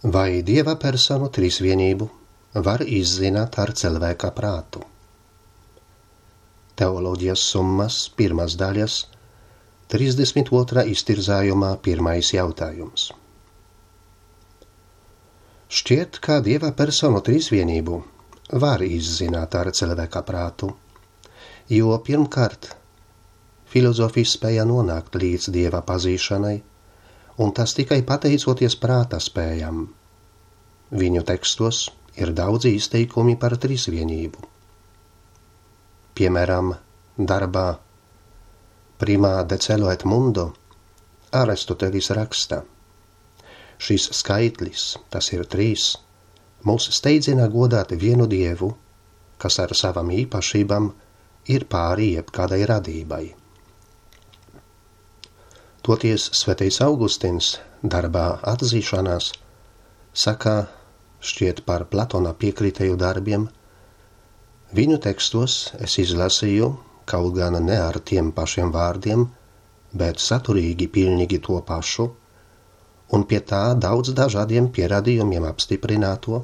Vai Dieva personu trīsvienību var izzināt ar cilvēka prātu? Teoloģijas summas 1. daļas, 32. iztirzājumā 1. jautājums. Šķiet, ka Dieva personu trīsvienību var izzināt ar cilvēka prātu, jo pirmkārt filozofis spēja nonākt līdz Dieva pazīšanai, un tas tikai pateicoties prāta spējam. Viņu tekstos ir daudzi izteikumi par trīsvienību. Piemēram, darbā Prima decelo et mundo Aristotelis raksta: šis skaitlis, tas ir 3, mūs steidzina godāt vienu Dievu, kas ar savam īpašībām ir pāri jebkādai radībai. Toties svētais Augustins darbā Atzīšanās saka, šķiet par Platona piekritēju darbiem, viņu tekstos es izlasīju, kaut gan ne ar tiem pašiem vārdiem, bet saturīgi pilnīgi to pašu, un pie tā daudz dažādiem pierādījumiem apstiprināto,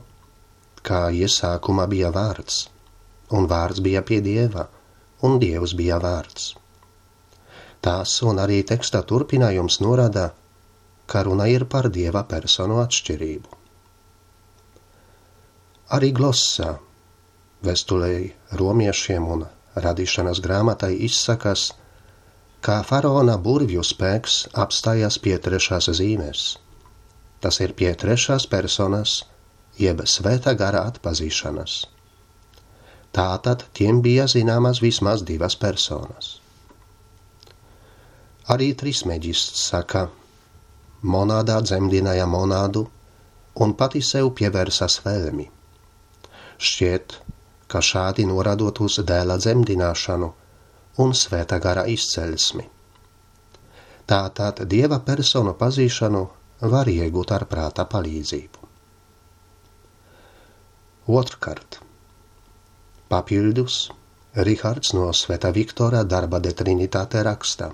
kā iesākumā bija vārds, un vārds bija pie Dieva, un Dievs bija vārds. Tās un arī teksta turpinājums norāda, ka runa ir par Dieva personu atšķirību. Arī Glossa vēstulei romiešiem un radīšanas grāmatai izsakas, ka faraona burvju spēks apstājas pie 3. zīmes. Tas ir pie 3. personas, jeb svētā gara atpazīšanas. Tātad tiem bija zināmas vismaz 2 personas. Arī trismeģists saka, monādā dzemdināja monādu un pati sev pievērsas vēlmi. Šķiet, ka šādi norādot uz dēla dzemdināšanu un svētā gara izcelsmi. Tātad Dieva personu pazīšanu var iegūt ar prāta palīdzību. Otrkārt, papildus Rihards no Svētā Viktora darba de Trinitāte raksta: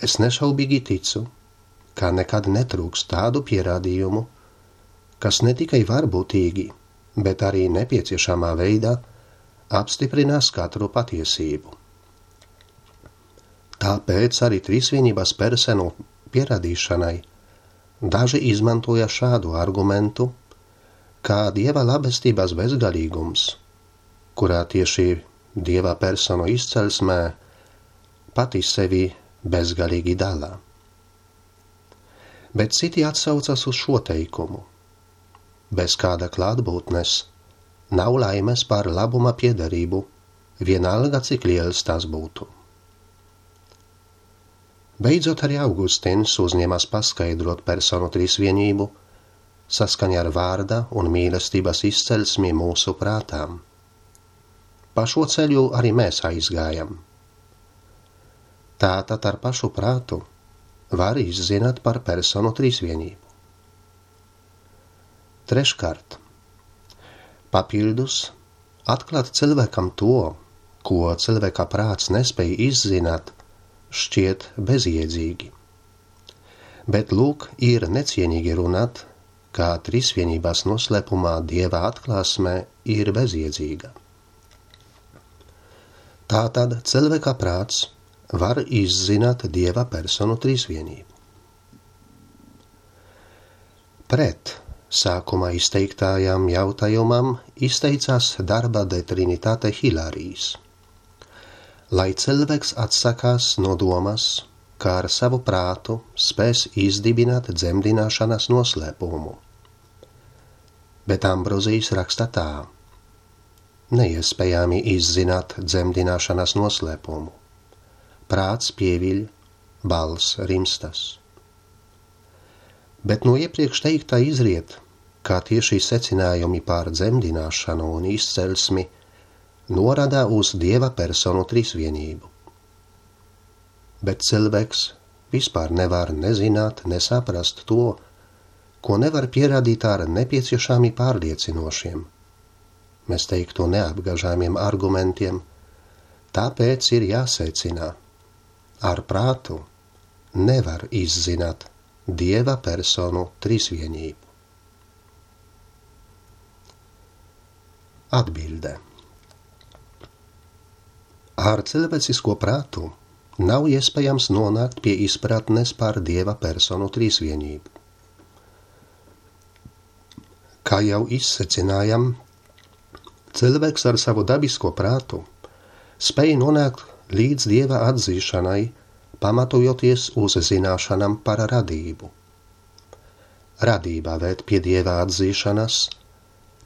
es nešaubīgi ticu, ka nekad netrūks tādu pierādījumu, kas ne tikai varbūtīgi, bet arī nepieciešamā veidā apstiprinās katru patiesību. Tāpēc arī trīsvienības personu pierādīšanai daži izmantoja šādu argumentu, kā Dieva labestības bezgalīgums, kurā tieši Dieva personu izcelsmē pati sevi bezgalīgi dalā. Bet citi atsaucas uz šo teikumu: bez kāda klātbūtnes nav laimes par labuma piederību, vienalga cik liels tas būtu. Beidzot arī Augustins uzņemas paskaidrot personu trīsvienību saskaņā ar vārda un mīlestības izcelsmi mūsu prātām. Pa šo ceļu arī mēs aizgājam. Tātad ar pašu prātu var izzināt par personu trīsvienību. Treškārt, papildus atklāt cilvēkam to, ko cilvēka prāts nespēj izzināt, šķiet bezjēdzīgi. Bet lūk, ir necienīgi runāt, kā trīsvienības noslēpumā Dieva atklāsmē ir bezjēdzīga. Tātad cilvēka prāts var izzināt Dieva personu trīsvienību. Pret sākumā izteiktājām jautājumam izteicās darba de Trinitāte Hilārijs. Lai cilvēks atsakās no domas, kā ar savu prātu spēs izdibināt dzemdināšanas noslēpumu. Bet Ambrozijs raksta tā: neiespējami izzināt dzemdināšanas noslēpumu. Prāts pieviļ, balss rimstas. Bet no iepriekš teiktā izriet, kā tieši secinājumi par dzemdināšanu un izcelsmi norāda uz Dieva personu trīsvienību. Bet cilvēks vispār nevar nezināt, nesaprast to, ko nevar pierādīt ar nepieciešami pārliecinošiem, mēs teiktu neapgāžāmiem argumentiem, tāpēc ir jāsecina: ar prātu nevar izzināt Dieva personu trīsvienību. Atbilde. Ar cilvēcisko prātu nav iespējams nonākt pie izpratnes par Dieva personu trīsvienību. Kā jau izsecinājam, cilvēks ar savu dabisko prātu spēj nonākt līdz Dieva atzīšanai, pamatojoties uz zināšanām par radību. Radība ved pie Dieva atzīšanas,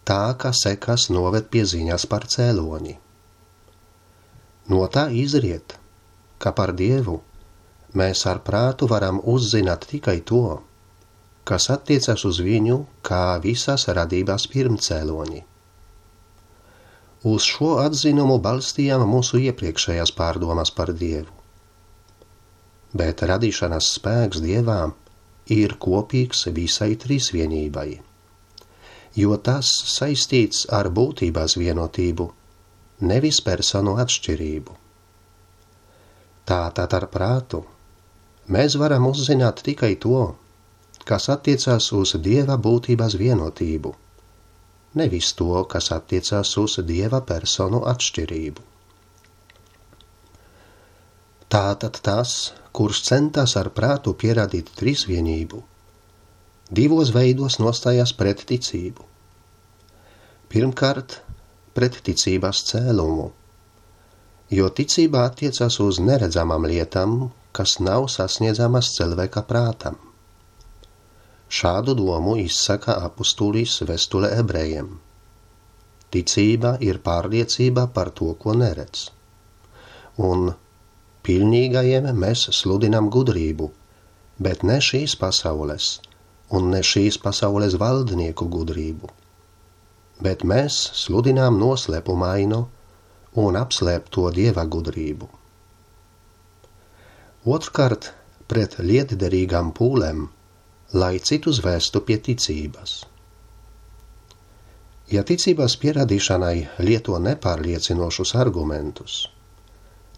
tā kā sekas noved pie ziņas par cēloni. No tā izriet, ka par Dievu mēs ar prātu varam uzzināt tikai to, kas attiecas uz viņu kā visas radības pirmcēloni. Uz šo atzinumu balstījām mūsu iepriekšējās pārdomas par Dievu. Bet radīšanas spēks Dievā ir kopīgs visai trīsvienībai, jo tas saistīts ar būtības vienotību, nevis personu atšķirību. Tātad ar prātu mēs varam uzzināt tikai to, kas attiecās uz Dieva būtības vienotību, nevis to, kas attiecās uz Dieva personu atšķirību. Tātad tas, kurš centās ar prātu pierādīt trīsvienību, divos veidos nostājās pret ticību. Pirmkārt, pret ticības cēlumu, jo ticība attiecas uz neredzamām lietām, kas nav sasniedzamas cilvēka prātam. Šādu domu izsaka apustulis vēstule ebrejiem. Ticība ir pārliecība par to, ko neredz. Un pilnīgajiem mēs sludinām gudrību, bet ne šīs pasaules, un ne šīs pasaules valdnieku gudrību. Bet mēs sludinām noslēpumainu un apslēpto Dieva gudrību. Otrkārt, pret lietderīgām pūlēm, lai citus vēstu pie ticības. Ja ticības pierādīšanai lieto nepārliecinošus argumentus,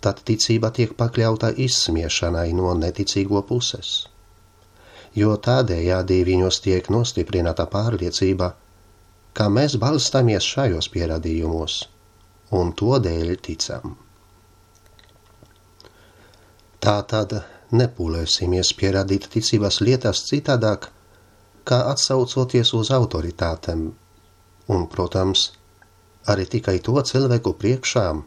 tad ticība tiek pakļauta izsmiešanai no neticīgo puses, jo tādējādi viņos tiek nostiprināta pārliecība, ka mēs balstāmies šajos pierādījumos, un to dēļ ticam. Tātad nepūlēsimies pierādīt ticības lietas citādāk, kā atsaucoties uz autoritātēm, un, protams, arī tikai to cilvēku priekšām,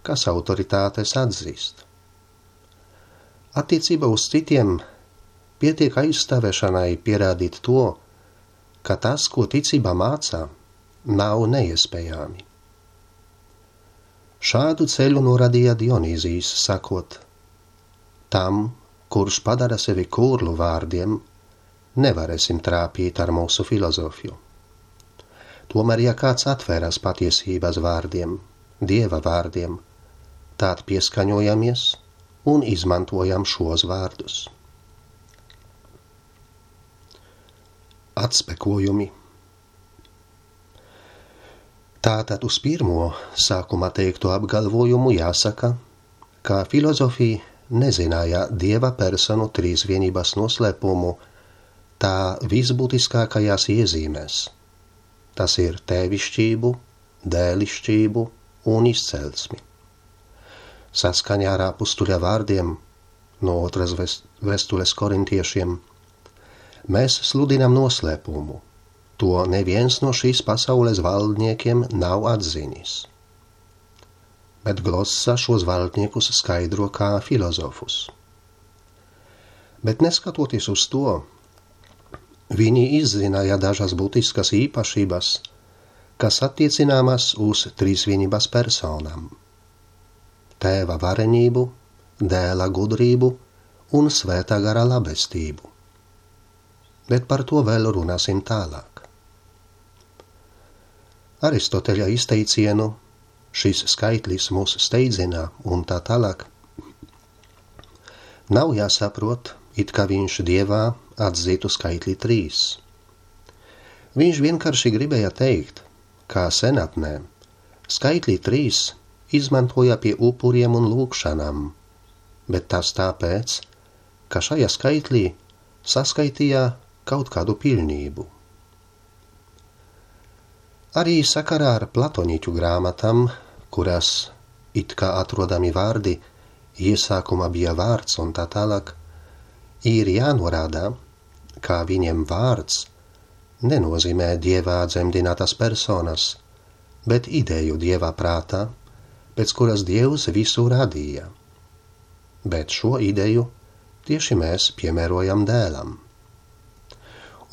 kas autoritātes atzīst. Attiecībā uz citiem pietiek aizstāvēšanai pierādīt to, ka tas, ko ticība mācā, nav neiespējami. Šādu ceļu norādīja Dionīzijs, sakot, tam, kurš padara sevi kurlu vārdiem, nevarēsim trāpīt ar mūsu filozofiju. Tomēr, ja kāds atveras patiesības vārdiem, Dieva vārdiem, tād pieskaņojamies un izmantojam šos vārdus. Atspekojumi. Tātad uz pirmo sākumā teikto apgalvojumu jāsaka, ka filozofija nezināja Dieva personu trīsvienības noslēpumu tā visbūtiskākajās iezīmēs. Tas ir tēvišķību, dēlišķību un izcelsmi. Saskaņā ar apustuļa vārdiem no otras vēstules korintiešiem, mēs sludinām noslēpumu, to neviens no šīs pasaules valdniekiem nav atzinis. Bet Glossa šos valdniekus skaidro kā filozofus. Bet neskatoties uz to, viņi izzināja dažas būtiskas īpašības, kas attiecināmas uz trīsvienības personām. Tēva varenību, dēla gudrību un svētā gara labestību. Bet par to vēl runāsim tālāk. Aristoteļa izteicienu šis skaitlis mūs steidzina un tā tālāk nav jāsaprot, it kā viņš Dievā atzītu skaitli 3. Viņš vienkārši gribēja teikt, kā senatnē skaitli 3 izmantoja pie upuriem un lūgšanām, bet tas tāpēc, ka šajā skaitlī saskaitīja kaut kādu pilnību. Arī sakarā ar platoniķu grāmatām, kurās it kā atrodami vārdi, iesākumā bija vārds un tā tālāk, ir jānorāda, kā viņiem vārds nenozīmē Dievā dzemdinātas personas, bet ideju Dieva prātā, pēc kuras Dievs visu radīja. Bet šo ideju tieši mēs piemērojam dēlam.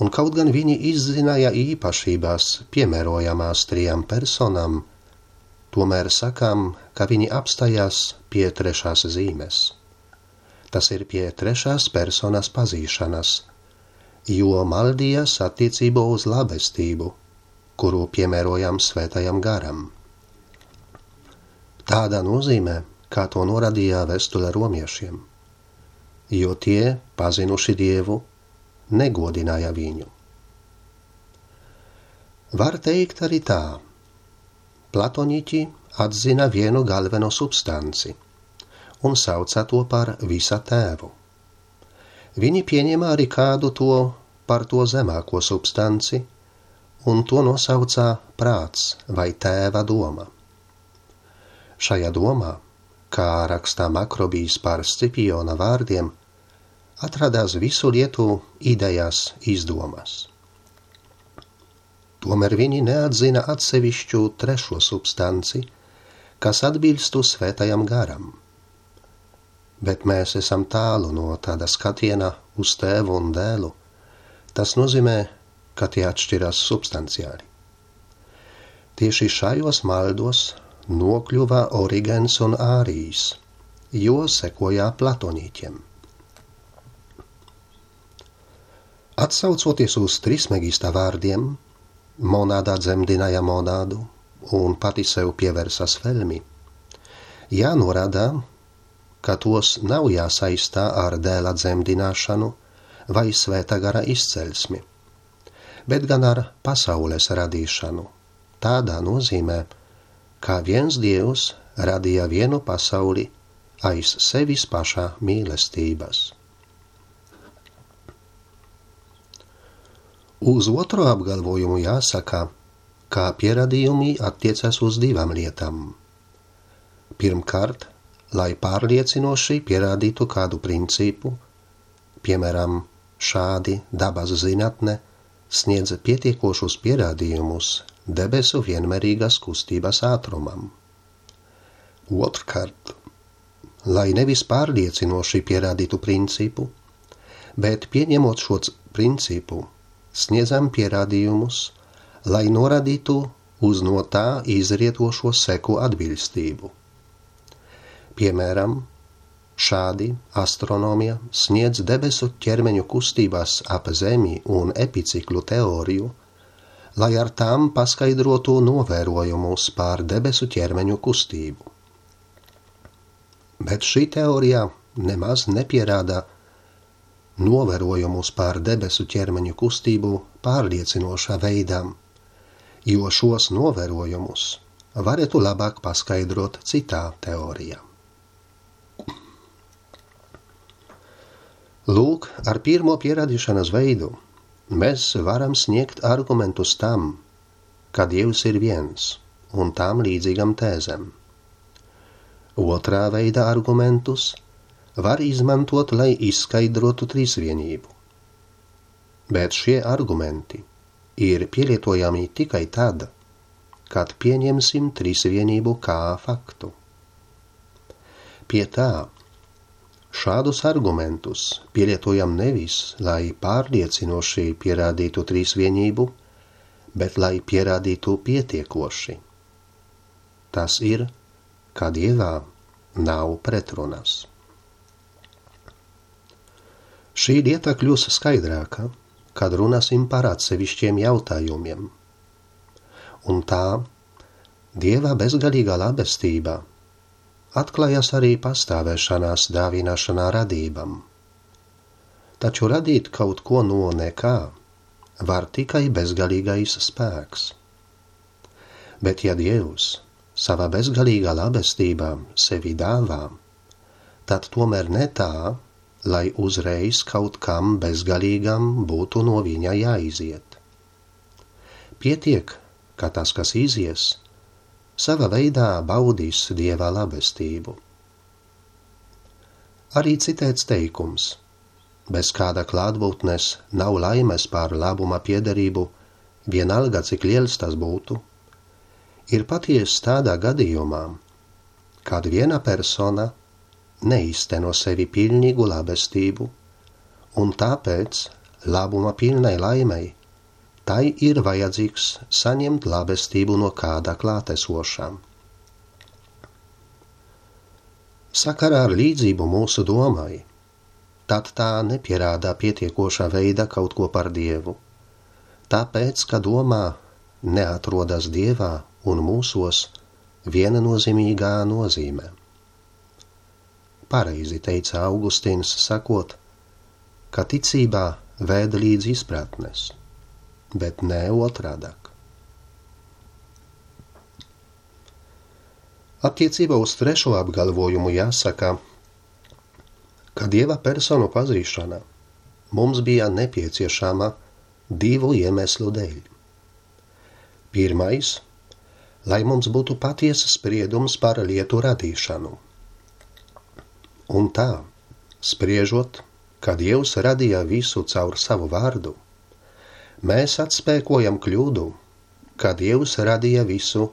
Un kaut gan viņi izzināja īpašībās piemērojamās trijām personām, tomēr sakām, ka viņi apstājās pie trešās zīmes. Tas ir pie trešās personas pazīšanas, jo maldījās attiecībā uz labestību, kuru piemērojam svētajam garam. Tādā nozīmē, kā to norādīja vēstule romiešiem, jo tie, pazinuši Dievu, negodināja viņu. Var teikt arī tā. Platoniķi atzina vienu galveno substanci un sauca to par visa tēvu. Viņi pieņēma arī kādu to par to zemāko substanci un to nosauca prāts vai tēva doma. Šajā domā, kā rakstā Makrobijs par Scipiona vārdiem, atradās visu lietu idejas izdomas. Tomēr viņi neatzina atsevišķu trešo substanci, kas atbilstu svētajam garam. Bet mēs esam tālu no tāda skatiena uz tēvu un dēlu. Tas nozīmē, ka tie atšķirās substanciāli. Tieši šajos maldos nokļuva Origens un Ārijs, jo sekojā platonīķiem. Atsaucoties uz Trismegista vārdiem, monādā dzemdināja monādu un pati sev pievērsas velmi, jānorāda, ka tos nav jāsaistā ar dēla dzemdināšanu vai svētā gara izceļsmi, bet gan ar pasaules radīšanu. Tādā nozīmē, kā viens Dievs radīja vienu pasauli aiz sevis pašā mīlestības. Uz otro apgalvojumu jāsaka, kā pierādījumi attiecas uz divām lietām. Pirmkārt, lai pārliecinoši pierādītu kādu principu, piemēram, šādi dabas zinātne sniedz pietiekošus pierādījumus debesu vienmērīgas kustības ātrumam. Otrkārt, lai nevis pārliecinoši pierādītu principu, bet pieņemot šo principu, sniedzam pierādījumus, lai norādītu uz no tā izrietošo seku atbilstību. Piemēram, šādi astronomija sniedz debesu ķermeņu kustībās ap Zemi un epiciklu teoriju, lai ar tām paskaidrotu novērojumus pār debesu ķermeņu kustību. Bet šī teorija nemaz nepierāda novērojumus pār debesu ķermeņu kustību pārliecinošā veidā, jo šos novērojumus varētu labāk paskaidrot citā teorijā. Lūk, ar pirmo pierādīšanas veidu mēs varam sniegt argumentus tam, ka Dievs ir viens un tam līdzīgam tēzēm. Otrā veida argumentus var izmantot, lai izskaidrotu trīsvienību. Bet šie argumenti ir pielietojami tikai tad, kad pieņemsim trīsvienību kā faktu. Pie tā, šādus argumentus pielietojam nevis, lai pārliecinoši pierādītu trīsvienību, bet lai pierādītu pietiekoši. Tas ir, ka Dievā nav pretrunas. Šī lieta kļūs skaidrāka, kad runāsim par atsevišķiem jautājumiem. Un tā, Dieva bezgalīgā labestība atklājas arī pastāvēšanās dāvināšanā radībam. Taču radīt kaut ko no nekā var tikai bezgalīgais spēks. Bet ja Dievs savā bezgalīgā labestībā sevi dāvā, tad tomēr ne tā, lai uzreiz kaut kam bezgalīgam būtu no viņa jāiziet. Pietiek, ka tas, kas izies, sava veidā baudīs Dieva labestību. Arī citēts teikums: bez kāda klātbūtnes nav laimes pār labuma piederību, vienalga cik liels tas būtu, ir patiesa tādā gadījumā, kad viena persona neizteno sevi pilnīgu labestību, un tāpēc labuma pilnai laimei tai ir vajadzīgs saņemt labestību no kāda klātesošām. Sakarā ar līdzību mūsu domai, tad tā nepierādā pietiekošā veidā kaut ko par Dievu, tāpēc, ka domā neatrodas Dievā un mūsos viennozīmīgā nozīmē. Pareizi teica Augustīns, sakot, ka ticībā vēd līdz izpratnes, bet ne otrādāk. Attiecībā uz trešo apgalvojumu jāsaka, ka Dieva personu pazīšana mums bija nepieciešama divu iemeslu dēļ. Pirmais, lai mums būtu patiesa spriedums par lietu radīšanu. Un tā, spriežot, ka Dievs radīja visu caur savu vārdu, mēs atspēkojam kļūdu, ka Dievs radīja visu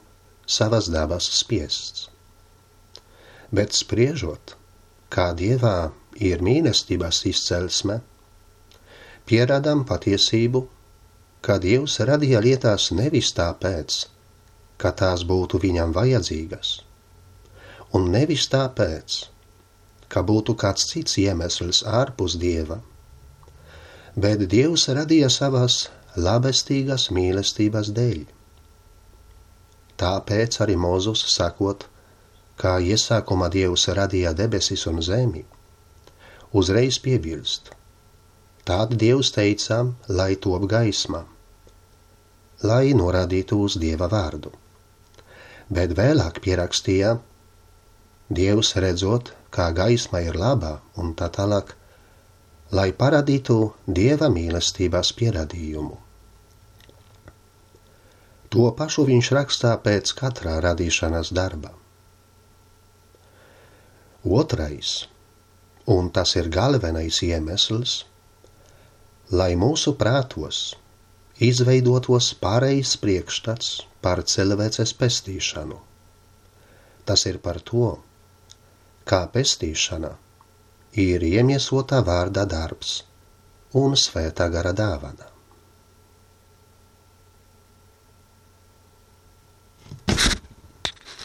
savas dabas spiests. Bet spriežot, kā Dievā ir mīlestības izcelsme, pierādām patiesību, ka Dievs radīja lietās nevis tāpēc, ka tās būtu viņam vajadzīgas, un nevis tāpēc, ka būtu kāds cits iemesls ārpus Dieva, bet Dievs radīja savas labestīgas mīlestības dēļ. Tāpēc arī Mozus sakot, kā iesākumā Dievs radīja debesis un zemi, uzreiz piebilst: tad Dievs teica, lai top gaisma, lai norādītu uz Dieva vārdu. Bet vēlāk pierakstīja: Dievs redzot, kā gaisma ir labā un tā tālāk, lai parādītu Dieva mīlestības pierādījumu. To pašu viņš rakstā pēc katrā radīšanas darba. Otrais, un tas ir galvenais iemesls, lai mūsu prātos izveidotos pareizs priekšstats par cilvēces pestīšanu. Tas ir par to, kā pestīšana ir iemiesotā vārda darbs un svētā gara dāvana.